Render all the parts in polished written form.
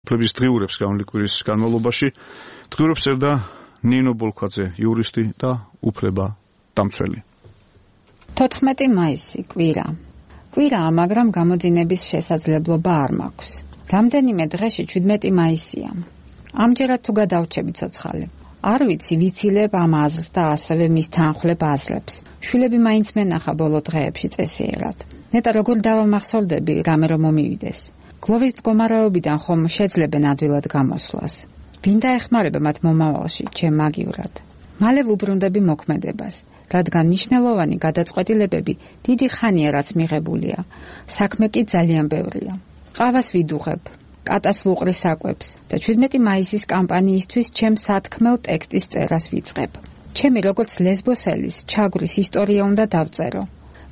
უფლების დღიურებს გამოვლის კვირის განმავლობაში დღიურებს წერდა ნინო ბოლქვაძე, იურისტი და უფლება დამცველი. 14 მაისი კვირაა, მაგრამ გამოძინების შესაძლებლობა არ მაქვს. რამდენიმე დღეში 17 მაისია. ამჯერად თუ გადავრჩები ცოცხალი. არ ვიცი ვიცილებ ამ აზრს და ასევე მის თანხლებ აზრებს. შვილები მაინც მენახა ბოლო დღეებში წესიერად. ნეტა როგორ დავამახსოვრდები რამე რომ მომივიდეს. გლოვის მდგომარეობიდან ხომ შეძლებენ ადვილად გამოსვლას. ვინ დაეხმარება მათ მომავალში, ჩემ მაგივრად. მალე ვუბრუნდები მოქმედებას, რადგან მნიშვნელოვანი გადაწყვეტილებები დიდი ხანია რაც მიღებულია. საქმე კი ძალიან ბევრია. ყავას ვიდუღებ, კატას ვუყრი საკვებს და 17 მაისის კამპანიისთვის ჩემ სათქმელ ტექსტის წერას ვიწყებ. ჩემი როგორც ლესბოსელის ჩაგვრის ისტორია უნდა დავწერო.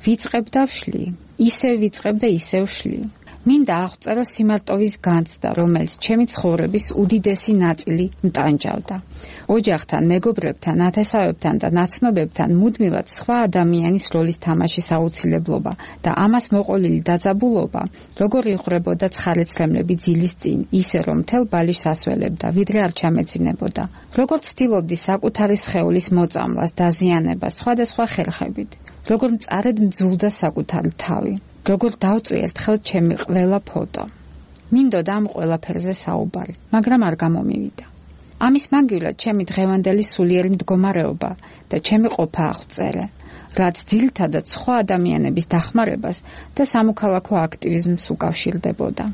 ვიწყებ და ვშლი, ისევ ვიწყებ და ისევ ვშლი. მინდა აღწერო სიმარტოვის განცდა, რომელიც ჩემი ცხოვრების უდიდესი ნაწილი მტანჯავდა. ოჯახთან, მეგობრებთან, ათესავებთან და ნაცნობებთან მუდმივად სხვა ადამიანის როლის თამაშის აუცილებლობა და ამას მოყოლილი დაძაბულობა, როგორ იღვრებოდა ცხარეცლემლები ძილის წინ, ისე რომ მთელ ბალიშს ასველებდა, ვიდრე არ ჩამეძინებოდა. როგორ ცდილობდი საკუთარი სხეულის მოწამლას, დაზიანებას სხვადასხვა ხერხებით. როგორ მწარედ მძულდა საკუთარი თავი. როგორ დავწვი ერთხელ ჩემი ყველა ფოტო. მინდოდა ამ ყველაფერზე საუბარი, მაგრამ არ გამომივიდა. ამის მაგივრად ჩემი დღევანდელი სულიერი მდგომარეობა და ჩემი ყოფა აღწერე, რაც ძირითადად სხვა ადამიანების დახმარებას და სამოქალაქო აქტივიზმს უკავშირდებოდა.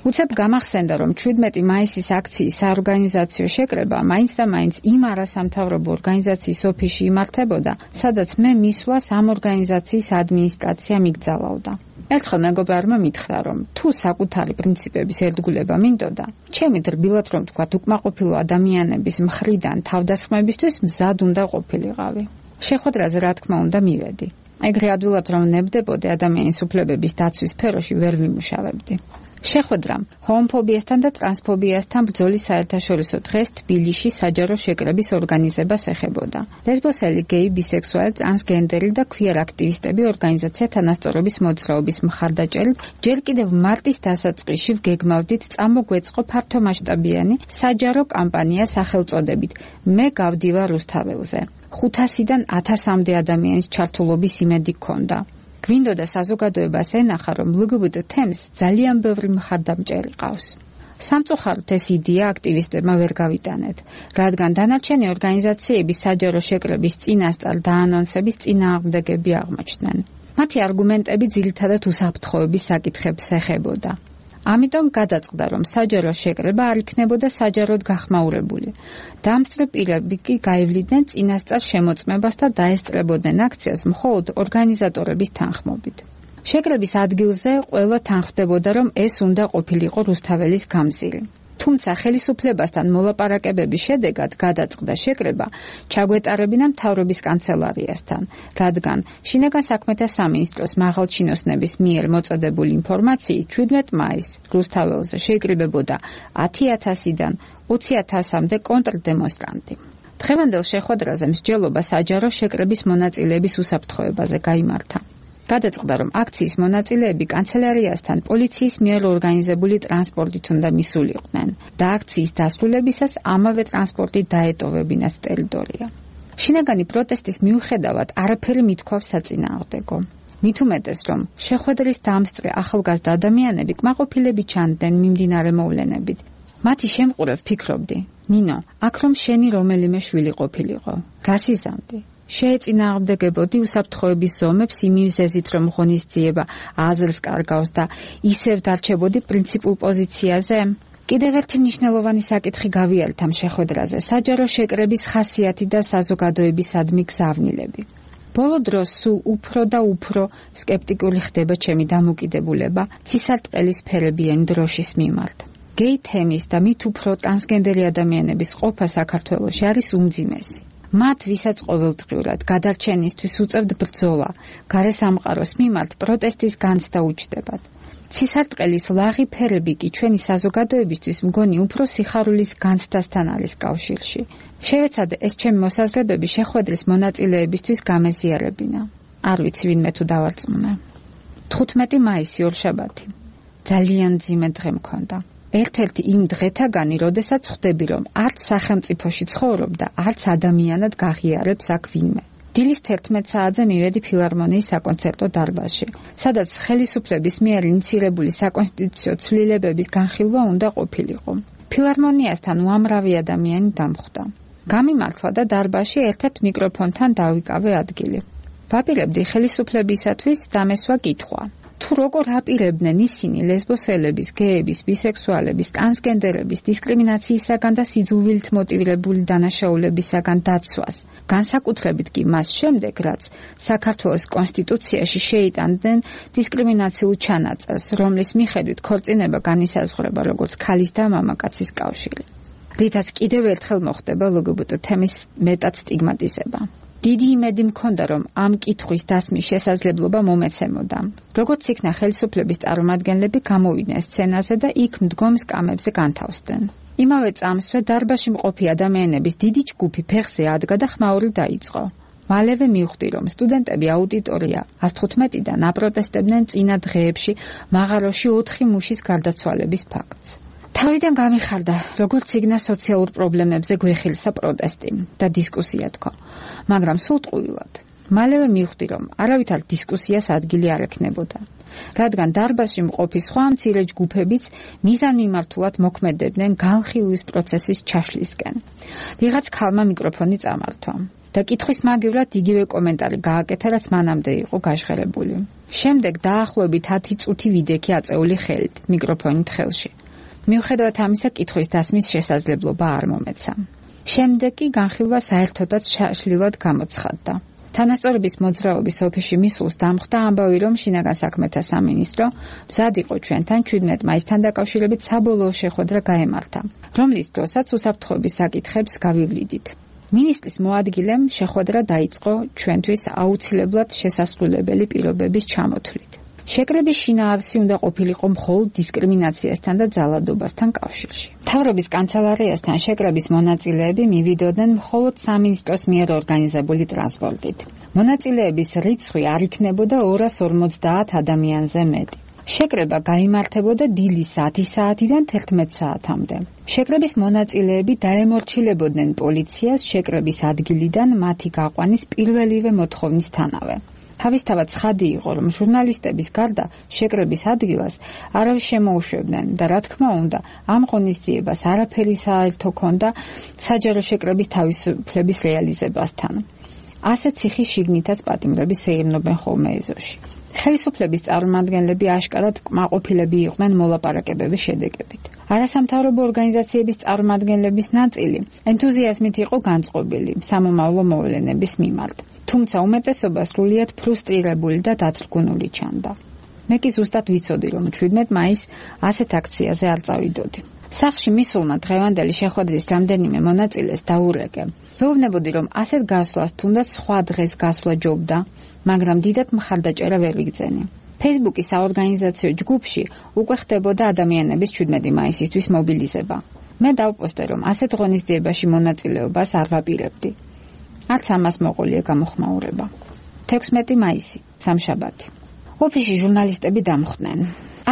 უცებ გამახსენდა, რომ 17 მაისის აქციის საორგანიზაციო შეკრება მაინც და მაინც იმ არასამთავრობო ორგანიზაციის ოფისში იმართებოდა, სადაც მე მისვლას ამ ორგანიზაციის ადმინისტრაცია მიგზავნოდა. ერთხელ მეგობარმა მითხრა, რომ თუ საკუთარი პრინციპების ერთგულება მინდოდა, ჩემი დრბილად რომ თქვათ უკმაყოფილო ადამიანების მხრიდან თავდასხმებისთვის მზად უნდა ყოფილიყავი. შეხვედრაზე რა თქმა უნდა მივედი. ეგრე ადვილად რომ ნებდებოდი ადამიანის უფლებების დაცვის სფეროში ვერ ვიმუშავებდი. შეხვედრამ ჰომოფობიასთან და ტრანსფობიასთან ბრძოლის საერთაშორისო დღეს თბილისში საჯარო შეკრების ორგანიზებას ეხებოდა. ლესბოსელი, გეი, ბისექსუალი, ტრანსგენდერი და ქვიერ აქტივისტები ორგანიზაცია თანასწორობის მოძრაობის მხარდაჭერით ჯერ კიდევ მარტის დასაწყისში ვგეგმავდით წამოგვეწყო ფართომასშტაბიანი საჯარო კამპანია სახელწოდებით მე გავდივა რუსთაველზე. 500-დან 1000-მდე ადამიანის ჩართულობის იმედი ჰქონდა. გვინდოდა საზოგადოებას ენახა, რომ LGBT თემს ძალიან ბევრი მხარდამჭერი ყავს. სამწუხაროდ ეს იდეა აქტივისტებმა ვერ გავიტანეთ, რადგან დანარჩენი ორგანიზაციები საჯარო შეკრების წინასწარ დაანონსების წინააღმდეგები აღმოჩნდნენ. მათი არგუმენტები ძირითადად უსაფრთხოების საკითხებს ეხებოდა. ამიტომ გადაწყდა, რომ საჯარო შეკრება არ იქნებოდა საჯაროდ გახმაურებული. დამსწრე პირები კი გაივლიდნენ წინასწარ შემოწმებას და დაესწრებოდნენ აქციას მხოლოდ ორგანიზატორების თანხმობით. შეკრების ადგილზე ყველა თანხმდებოდა, რომ ეს უნდა ყოფილიყო რუსთაველის გამზირი. თუმცა ხელისუფლებასთან მოლაპარაკებების შედეგად გადაწყდა შეკრება ჩაგვეტარებინა მთავრობის კანცელარიასთან, რადგან შინაგან საქმეთა სამინისტროს მაღალჩინოსნების მიერ მოწოდებული ინფორმაციით 17 მაისს რუსთაველზე შეიკრიბებოდა 10,000-დან 20,000-მდე კონტრდემონსტრანტი. დღევანდელ შეხვედრაზე მსჯელობა საჯარო შეკრების მონაწილეების უსაფრთხოებაზე გაიმართა. გადაწყდა, რომ აქციის მონაწილეები კანცელარიასთან პოლიციის მიერ ორგანიზებული ტრანსპორტით უნდა მისულიყვნენ და აქციის დასრულებისას ამავე ტრანსპორტით დაეტოვებინათ ტერიტორია. შინაგანი პროტესტის მიუხედავად არაფერი მithქვავს საწინააღმდეგო. მით უმეტეს, რომ შეხვედრის დამსწრე ახალგაზრდა ადამიანები კმაყოფილები ჩანდნენ მიმდინარე მოვლენებით. მათი შემყურებ ფიქრობდი, ნინო, აქ რომ შენი რომელიმე შვილი ყოფილიყო, რას იზამდი? შეეწინააღმდეგებოდი უსაფრთხოების ზომებს იმ მიზეზით, რომ ღონისძიება აზრს კარგავს და ისევ დარჩებოდი პრინციპულ პოზიციაზე? კიდევ ერთი მნიშვნელოვანი საკითხი გავიარეთ ამ შეხვედრაზე, საჯარო შეკრების ხასიათი და საზოგადოებისადმი გზავნილები. ბოლო დროს სულ უფრო და უფრო სკეპტიკული ხდება ჩემი დამოკიდებულება ცისარტყელის სფერებიანი დროშის მიმართ. გეი თემის და მით უფრო ტრანსგენდერი ადამიანების ყოფა საქართველოში არის უმძიმესი. მათ ვისაც ყოველდღიურად გადარჩენისთვის უწევთ ბრძოლა, გარესამყაროს მიმართ პროტესტის განცდა უჩნდებათ. ცისარტყელის ლაღი ფერები კი ჩვენი საზოგადოებისთვის მგონი უფრო სიხარულის განცდასთან არის კავშირში. შევეცადე ეს ჩემი მოსაზრებები შეხვედრის მონაწილეებისთვის გამეზიარებინა. არ ვიცი ვინმე თუ დავარწმუნე. 15 მაისი ორშაბათი. ძალიან მძიმე დღე მქონდა. ერთ-ერთი იმ დღეთაგანი, როდესაც ხვდები, რომ არც სახელმწიფოში ცხოვრობ და არც ადამიანად გაღიარებს აქ ვინმე. დილის 11 საათზე მივედი ფილარმონიის საკონცერტო დარბაზში, სადაც ხელისუფლების მიერ ინიცირებული საკონსტიტუციო ცვლილებების განხილვა უნდა ყოფილიყო. ფილარმონიასთან უამრავი ადამიანი დამხვდა. გამიმართლა და დარბაზში ერთ-ერთ მიკროფონთან დავიკავე ადგილი. ვაპირებდი ხელისუფლებისათვის დამესვა კითხვა. თუ როგორ აპირებდნენ ისინი ლესბოსელების, გეების, ბისექსუალების, ტრანსგენდერების დისკრიმინაციისაგან და სიძულვილით მოტივირებული დანაშაულებისაგან დაცვას, განსაკუთრებით კი მას შემდეგ, რაც საქართველოს კონსტიტუციაში შეიტანდნენ დისკრიმინაციულ ჩანაწერს, რომლის მიხედვით ქორწინება განისაზღვრება როგორც ქალის და მამაკაცის კავშირი. რითაც კიდევ ერთხელ მოხდება LGBT თემის მეტად სტიგმატიზება. დიდი იმედი მქონდა, რომ ამ კითხვის დასმის შესაძლებლობა მომეცემოდა. როგორც იქნა ხელისუფლების წარმომადგენლები გამოვიდნენ სცენაზე და იქ მდგომ სკამებზე განთავსდნენ. იმავე წამსვე დარბაზში მყოფი ადამიანების დიდი ჯგუფი ფეხზე ადგა და ხმაური დაიწყო. მალევე მივხვდი, რომ სტუდენტები აუდიტორია 115-დან აპროტესტებდნენ წინა დღეებში მაღაროში 4 მუშის გარდაცვალების ფაქტს. თავიდან გამიხარდა, როგორც იქნა სოციალურ პრობლემებზე გვეხილსა პროტესტი და დისკუსია თქვა, მაგრამ სულ ტყუილად. მალევე მივხვდი, რომ არავითარ დისკუსიას ადგილი არ ექნებოდა, რადგან დარბაზში მყოფი სხვა მცირე ჯგუფებიც მიზანმიმართულად მოქმედებდნენ განხილვის პროცესის ჩაშლისკენ. ვიღაც ქალმა მიკროფონი წამართვა და კითხვის მაგივრად იგივე კომენტარი გააკეთა, რაც მანამდე იყო გაჟღერებული. შემდეგ დაახლოებით 10 წუთი ვიდექი აწეული ხელით, მიკროფონით ხელში. მიუხედავად ამისა, კითხვის დასმის შესაძლებლობა არ მომეცა. შემდეგ კი განხილვა საერთოდაც შაშლილად გამოცხადდა. თანასწორობის მოძრაობის ოფისში მისულს დამხვდა ამბავი, რომ შინაგან საქმეთა სამინისტრო მზად იყო ჩვენთან 17 მაისთან დაკავშირებით საბოლოო შეხვედრა გაემართა, რომლის დროსაც უსაფრთხოების საკითხებს გავივლიდით. მინისტრის მოადგილემ შეხვედრა დაიწყო ჩვენთვის აუცილებლად შესასრულებელი პირობების ჩამოთვლით. შეკრების შინაარსი უნდა ყოფილიყო მხოლოდ დისკრიმინაციასთან და ძალადობასთან კავშირში. მთავრობის კანცელარიასთან შეკრების მონაწილეები მივიდოდნენ მხოლოდ სამინისტროს მიერ ორგანიზებული ტრანსპორტით. მონაწილეების რიცხვი არ იქნებოდა 250 ადამიანზე მეტი. შეკრება გაიმართებოდა დილის 10 საათიდან 11 საათამდე. შეკრების მონაწილეები დაემორჩილებოდნენ პოლიციას შეკრების ადგილიდან მათი გაყვანის პირველივე მოთხოვნისთანავე. თავისთავად ცხადი იყო, რომ ჟურნალისტების გარდა შეკრების ადგილას არავის შემოუშვებდნენ და რა თქმა უნდა, ამ ღონისძიებას არაფერი საერთო ჰქონდა საჯარო შეკრების თავისუფლების რეალიზებასთან. ასეთ ციხის შიგნითაც პატიმრების ეირნობენ ხოლმე ეზოში. ხელისუფლების წარმომადგენლები აშკარად კმაყოფილები იყვნენ მოლაპარაკებების შედეგებით. არასამთავრობო ორგანიზაციების წარმომადგენლების ნაწილი ენთუზიაზმით იყო განწყობილი სამომავლო მოვლენების მიმართ. თუმცა უმეტესობა სრულიად ფრუსტრირებული და დათრგუნული ჩანდა. მე კი ზუსტად ვიცოდი, რომ 17 მაისს ასეთ აქციაზე არ წავიდოდი. სახლში მისულმა დღევანდელი შეხვედრის რამდენიმე მონაწილეს დაურეკე. ვეუბნებოდი, რომ ასეთ გასვლას თუნდაც სხვა დღეს გასვლა ჯობდა, მაგრამ დიდად მხარდაჭერა ვერ ვიგრძენი. Facebook-ის საორგანიზაციო ჯგუფში უკვე ხდებოდა ადამიანების 17 მაისისთვის მობილიზება. მე დავპოსტე, რომ ასეთ ღონისძიებაში მონაწილეობას არ ვაპირებდი. არც ამას მოყოლია გამოხმაურება. 16 მაისი, სამშაბათი. ოფისში ჟურნალისტები დამხვდნენ.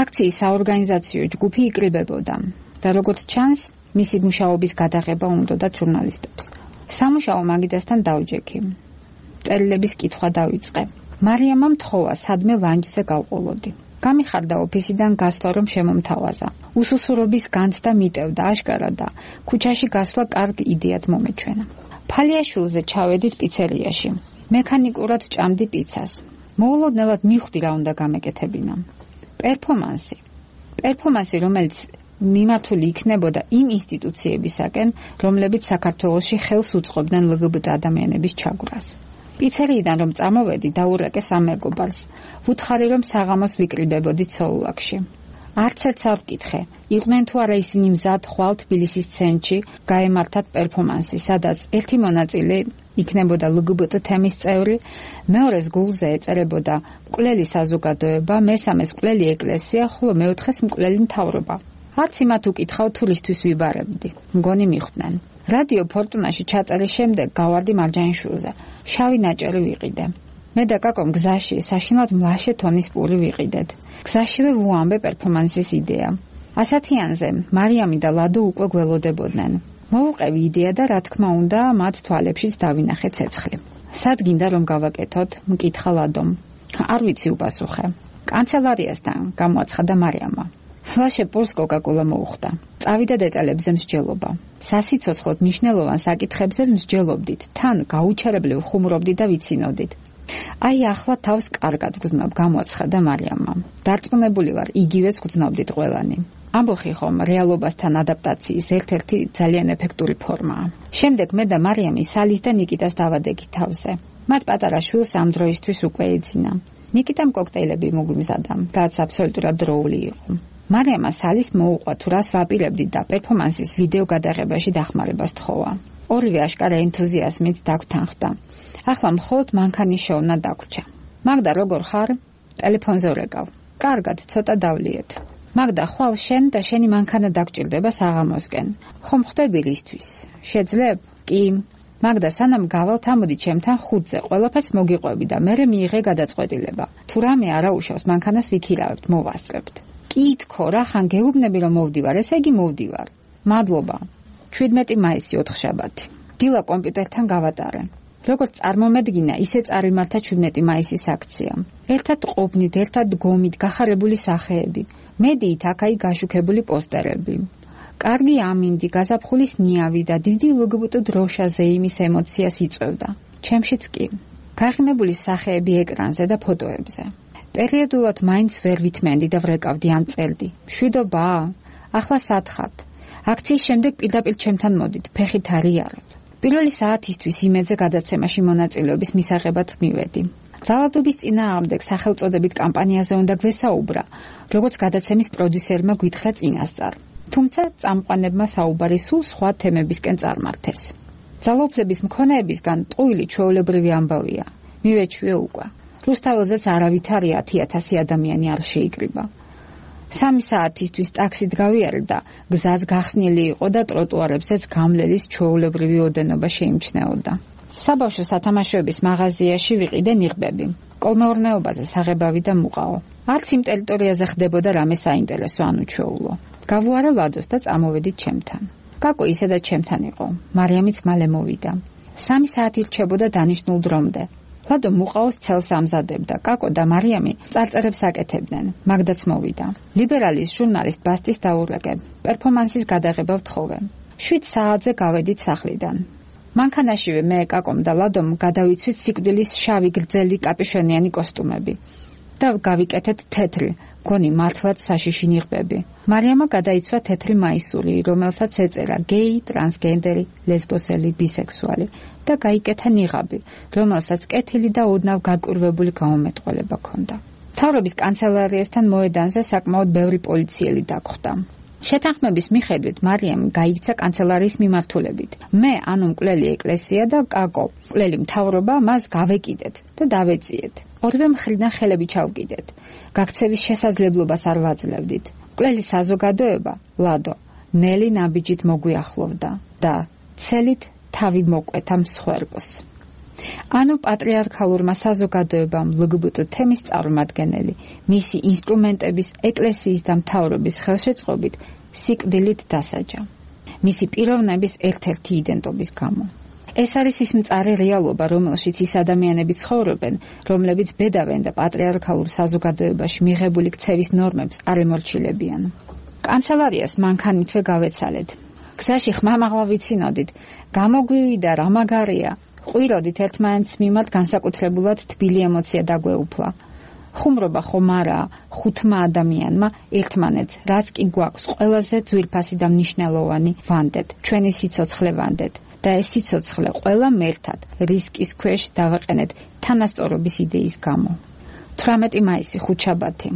აქციის საორგანიზაციო ჯგუფი იკრიბებოდა და როგორც ჩანს, მისი მუშაობის გადაღება უნდოდა ჟურნალისტებს. სამუშაო მაგიდასთან დავჯექი. წერილების კითხვა დავიწყე. მარიამამ თხოვა სადმე ლანჩზე გავყოლოდი. გამიხარდა ოფისიდან გასვლა, რომ შემომთავაზა. უსუსურობის განცდა მიტევდა აშკარა და ქუჩაში გასვლა კარგ იდეად მომეჩვენა. ფალიაშვილზე ჩავედით პიცერიაში. მექანიკურად ჭამდი პიცას. მოულოდნელად მივხვდი რა უნდა გამეკეთებინა. პერფორმანსი, რომელიც მიმართული იქნებოდა იმ ინსტიტუციებისაკენ, რომლებიც საქართველოში ხელს უწყობდნენ LGBT ადამიანების ჩაგვრას. პიცერიიდან რომ წამოვედი, დაურეკე სამეგობარს. ვუთხარი, რომ საღამოს ვიკრიბებოდი ცოლულაკში. არც ერთს არ ვკითხე, იყვნენ თუ არა ისინი მზად ხვალ თბილისის ცენტრში გაემართათ პერფორმანსი, სადაც ერთი მონაწილე იქნებოდა LGBT თემის წევრი, მეორეს გულზე ეწერებოდა მკვლელი საზოგადოება, მესამეს მკვლელი ეკლესია, ხოლო მეოთხეს მკვლელი მთავრობა. არც იმათ უკითხავ თუ რისთვის ვიბარებდი. მგონი მიხვდნენ. რადიო ფორტუნაში ჩაწერის შემდეგ გავარდი მარჯანიშვილზე. შავი ნაჭერი ვიყიდე. მე და კაკომ გზაში საშინლად მლაშე თონის პური ვიყიდეთ. გზაშივე ვუამბე პერფორმანსის იდეა. ასათიანზე მარიამი და ლადო უკვე გველოდებოდნენ. მოვუყევი იდეა და რა თქმა უნდა მათ თვალებშიც დავინახე ცეცხლი. სად გინდა რომ გავაკეთოთ? მკითხა ლადომ. არ ვიცი უპასუხე. კანცელარიასთან გამოაცხადა მარიამმა. ლაშე პურს კოკაკოლა მოუხდა. წავიდა დეტალებზე მსჯელობა. სასიცოცხლოდ მნიშვნელოვან საკითხებზე მსჯელობდით, თან გაუჩერებლივ ხუმრობდით და ვიცინოდით. აი ახლა თავს კარგად გრძნობ, გამოაცხადა მარიამმა. დარწმუნებული ვარ, იგივეს გრძნობდით ყველანი. ამბოხი ხომ რეალობასთან ადაპტაციის ერთ-ერთი ძალიან ეფექტური ფორმაა. შემდეგ მე და მარიამი სალის და ნიკიტას დავადეგით თავზე. მათ პატარა შვილს ამ დროისთვის უკვე ეძინა. ნიკიტამ კოქტეილები მოგვიმზადა, რაც აბსოლუტურად დროული იყო. მარიამა სალის მოუყვა თუ რას ვაპირებდით და პერფორმანსის ვიდეო გადაღებაში დახმარებას თხოვა. ორივე აშკარა ენთუზიაზმით დაგთანხმდა. ახლა მხოლოდ მანქანის შოვნა დაგვრჩა. მაგდა როგორ ხარ? ტელეფონზე ვრეკავ. კარგად, ცოტა დავლიეთ. მაგდა ხვალ შენ და შენი მანქანა დაგჭირდება საღამოსკენ. ხომ ხდები რისთვის? შეძლებ? კი. მაგდა სანამ გავალთ ამოდი ჩემთან 5-ზე, ყველაფერს მოგიყვები და მერე მიიღე გადაწყვეტილება. თუ რამე არაუშავს მანქანას ვიქირავებთ, მოვასწრებთ. კი თქო, რახან გეუბნები რომ მოვდივარ, ესე იგი მოვდივარ. მადლობა. 17 მაისი 4 შაბათი. დილა კომპიუტერთან გავატარე. როგორც წარმომედგინა, ისე წარიმართა 17 მაისის აქცია. ერთად ყოფნით, ერთად გომით, გახარებული სახეები. მედიით აქ-აი გაშუქებული პოსტერები. კარგი ამინდი, გაზაფხულის ნიავი და დიდი ლგბტ დროშაზე იმის ემოციას იწვევდა. ჩემშიც კი. გაღიმებული სახეები ეკრანზე და ფოტოებზე. პერიოდულად მაინც ვერ ვითმენდი და ვრეკავდი ან წერდი. მშვიდობა? ახლა სათხართ. აქციის შემდეგ პირდაპირ ჩემთან მოდით, ფეხით არიაროთ. პირველი საათისთვის იმედზე გადაცემაში მონაწილეობის მისაღებად მივედი. ძალადობის წინააღმდეგ სახელწოდებით კამპანიაზე უნდა გვესაუბრა, როგორც გადაცემის პროდიუსერმა გვითხრა წინასწარ. თუმცა წამყვანებმა საუბარი სულ სხვა თემებისკენ წარმართეს. ძალაუფლების მქონეებისგან ტყუილი ჩვეულებრივი ამბავია. მივეჩვიე უკვე. რუსთაველზეც არავითარია 10,000 ადამიანი არ შეიკრიბა. 3 საათისთვის ტაქსით გავიარე და გზაც გახსნილი იყო და ტროტუარებზეც გამლელის ჩვეულებრივი ოდენობა შეიმჩნეოდა. საბავშვო სათამაშოების მაღაზიაში ვიყიდე ნიღბები. კოლმეურნეობაზე საღებავი და მუყაო. არც იმ ტერიტორიაზე ხდებოდა რამე საინტერესო ან უჩვეულო. გავუარე ლადოს და წამოვედით ჩემთან. კაკო ისედაც ჩემთან იყო. მარიამიც მალე მოვიდა. 3 საათი რჩებოდა დანიშნულ დრომდე. ლადო მუყაოს ცელს ამზადებდა, კაკო და მარიამი წარწერებს აკეთებდნენ. მაგდაც მოვიდა. ლიბერალის ჟურნალისტ ბასტის დაურეკებ. პერფორმანსის გადაღება ვთხოვე. 7 საათზე გავედით სახლიდან. მანქანაშივე მე, კაკომ და ლადომ გადავიცვით სიკვდილის შავი გრძელი კაპიშონიანი კოსტუმები. და გავიკეთეთ თეთრი, გონი მართლაც საშიში ნიღბები. მარიამა გადაიცვა თეთრი მაისური, რომელსაც ეწერა გეი, ტრანსგენდერი, ლესბოსელი, ბისექსუალი და გაიკეთა ნიღაბი, რომელსაც კეთილი და ოდნავ გაკურვებული გამომეტყველება ჰქონდა. მთავრობის კანცელარიასთან მოედანზე საკმაოდ ბევრი პოლიციელი დაგხვდა. შეთანხმების მიხედვით მარიამი გაიქცა კანცელარიის მიმართულებით. მე, ანუ მკვლელი ეკლესია და კაკო, მკვლელი მთავრობა მას გავეკიდეთ და დავეწიეთ. ორივე მხრიდან ხელები ჩავკიდეთ. გაქცევის შესაძლებლობას არ ვაძლევდით. მკვლელი საზოგადოება, ლადო, ნელი ნაბიჯით მოგვიახლოვდა და ცელით თავი მოკვეთა მსხვერპლს. ანუ პატრიარქალურმა საზოგადოებამ ლგბტ თემის წარმომადგენელი, მისი ინსტრუმენტების, ეკლესიის და მთავრობის ხელშეწყობით სიკვდილით დასაჯა. მისი პიროვნების ერთ-ერთი იდენტობის გამო. ეს არის ის მწარე რეალობა, რომელშიც ის ადამიანები ცხოვრობენ, რომლებიც ბედავენ და პატრიარქალურ საზოგადოებაში მიღებული ქცევის ნორმებს არ ემორჩილებიან. კანცელარიას მანქანითვე გავეცალეთ. გზაში ხმამაღლა ვიცინოდით, გამოგვივიდა რა მაგარია. ყვიროდით ერთმანეთს მიმართ განსაკუთრებულად თბილი ემოცია დაგვეუფლა. ხუმრობა ხომ არა, ხუთმა ადამიანმა ერთმანეთს, რაც კი გვაქვს, ყველაზე ძვირფასი და მნიშვნელოვანი ვანდეთ, ჩვენი სიცოცხლე ვანდეთ. და ეს სიცოცხლე ყველა მერთად რისკის ქვეშ დავაყენეთ თანასწორობის იდეის გამო. 18 მაისი 5 შაბათი.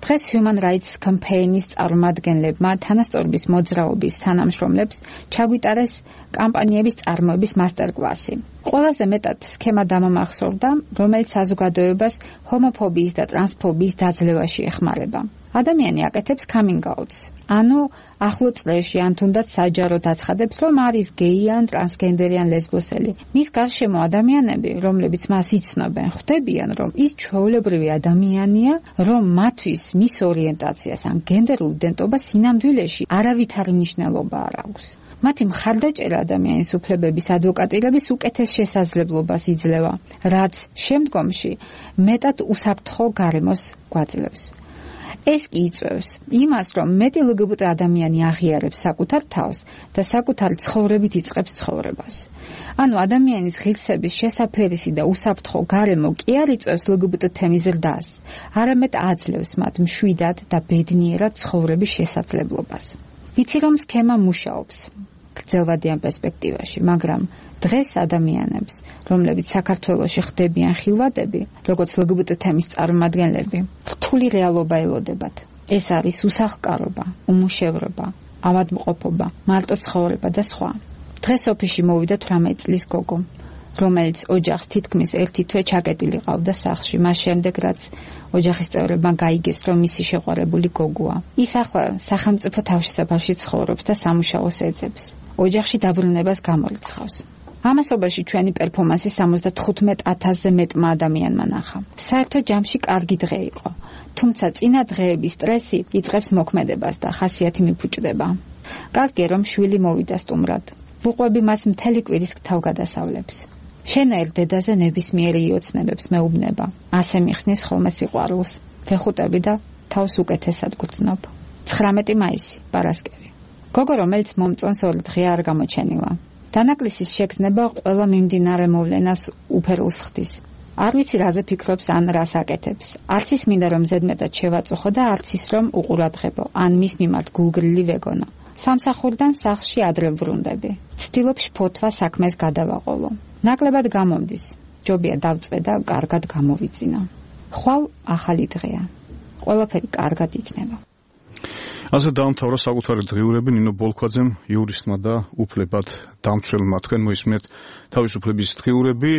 დღეს Human Rights Campaign-ის წარმომადგენლებმა თანასწორობის მოძრაობის თანამშრომლებს ჩაგვიტარეს კამპანიების წარმოების მასტერკლასი. ყველაზე მეტად სქემა დამამახსოვრდა, რომელიც საზოგადოებას ჰომოფობიის და ტრანსფობიის დაძლევაში ეხმარება. ადამიანი აკეთებს coming outs. ანუ ახლო წლებში ან თუნდაც საჯაროდ აცხადებს, რომ არის გეი ან ტრანსგენდერი ან ლესბოსელი. მის გარშემო ადამიანები, რომლებიც მას იცნობენ, ხვდებიან, რომ ის ჩვეულებრივი ადამიანია, რომ მათთვის მის ორიენტაციას ან გენდერულ იდენტობას სინამდვილეში არავითარი მნიშვნელობა არ აქვს. მათი მხარდაჭერა ადამიანის უფლებების ადვოკატირების უკეთეს შესაძლებლობას იძლევა, რაც შემდგომში მეტად უსაფრთხო გარემოს გვაძლევს. ეს კი იწვევს იმას, რომ მეტი LGBT ადამიანი აღიარებს საკუთარ თავს და საკუთარი ცხოვრებით იწყებს ცხოვრებას. ანუ ადამიანის ღირსების შესაფერისი და უსაფრთხო გარემო კი არ იწვევს LGBT თემის ზრდას, არამედ აძლევს მათ მშვიდად და ბედნიერად ცხოვრების შესაძლებლობას. ვიცი რომ სქემა მუშაობს გრძელვადიან პერსპექტივაში, მაგრამ დღეს ადამიანებს, რომლებიც საქართველოში ხდებიან ხილვადები, როგორც LGBT თემის წარმომადგენლები, რთული რეალობა ელოდებათ. ეს არის უსახლკარობა, უმუშევრობა, ავადმყოფობა, მარტო ცხოვრება და სხვა. დღეს ოფისში მოვიდა 18 წლის გოგო, რომელიც ოჯახს თითქმის ერთი თვე ჩაკეტილი ყავდა სახლში, მას შემდეგ რაც ოჯახის წევრებმა გაიგეს, რომ მისი შეყვარებული გოგოა. ის ახლა სახელმწიფო თავშესაფარში ცხოვრობს და სამუშაოს ეძებს. ოჯახში დაბრუნებას გამორიცხავს. ამასობაში ჩვენი პერფორმანსი 75,000-ზე მეტმა ადამიანმა ნახა. საერთო ჯამში კარგი დღე იყო, თუმცა წინა დღეების სტრესი იწყებს მოქმედებას და ხასიათი მიფუჭდება. კარგია რომ შვილი მოვიდა სტუმრად. ვუყვები მას მთელი კვირის თავგადასავლებს. შენაერ დედაზე ნებისმიერი იოცნებებს მეუბნება. ასე მიხსნის ხოლმე სიყვარულს. ვეხუტები და თავს უკეთესად გრძნობ. 19 მაისი, პარასკევი. გოგო, რომელიც მომწონს 2 დღე არ გამოჩენილა. დანაკლისის შეგრძნება ყველა მიმდინარე მოვლენას უფერულს ხდის. არ ვიცი რაზე ფიქრობს ან რას აკეთებს. არც ის მინდა რომ ზედმეტად შევაწუხო და არც ის რომ უყურადღებო, ან მის მიმართ გულგრილი ვეგონო. სამსახურიდან სახლში ადრე ვრუნდები. ცდილობ შფოთვა საქმეს გადავაყოლო. ნაკლებად გამომდის. ჯობია დავწვე და კარგად გამოვიძინო. ხვალ ახალი დღეა. ყველაფერი კარგად იქნება. ასე დაამთავრა საკუთარი დღიურები ნინო ბოლქვაძემ, იურისტმა და უფლებად დამცველმა. თქვენ მოისმენთ თავისუფლების დღიურები.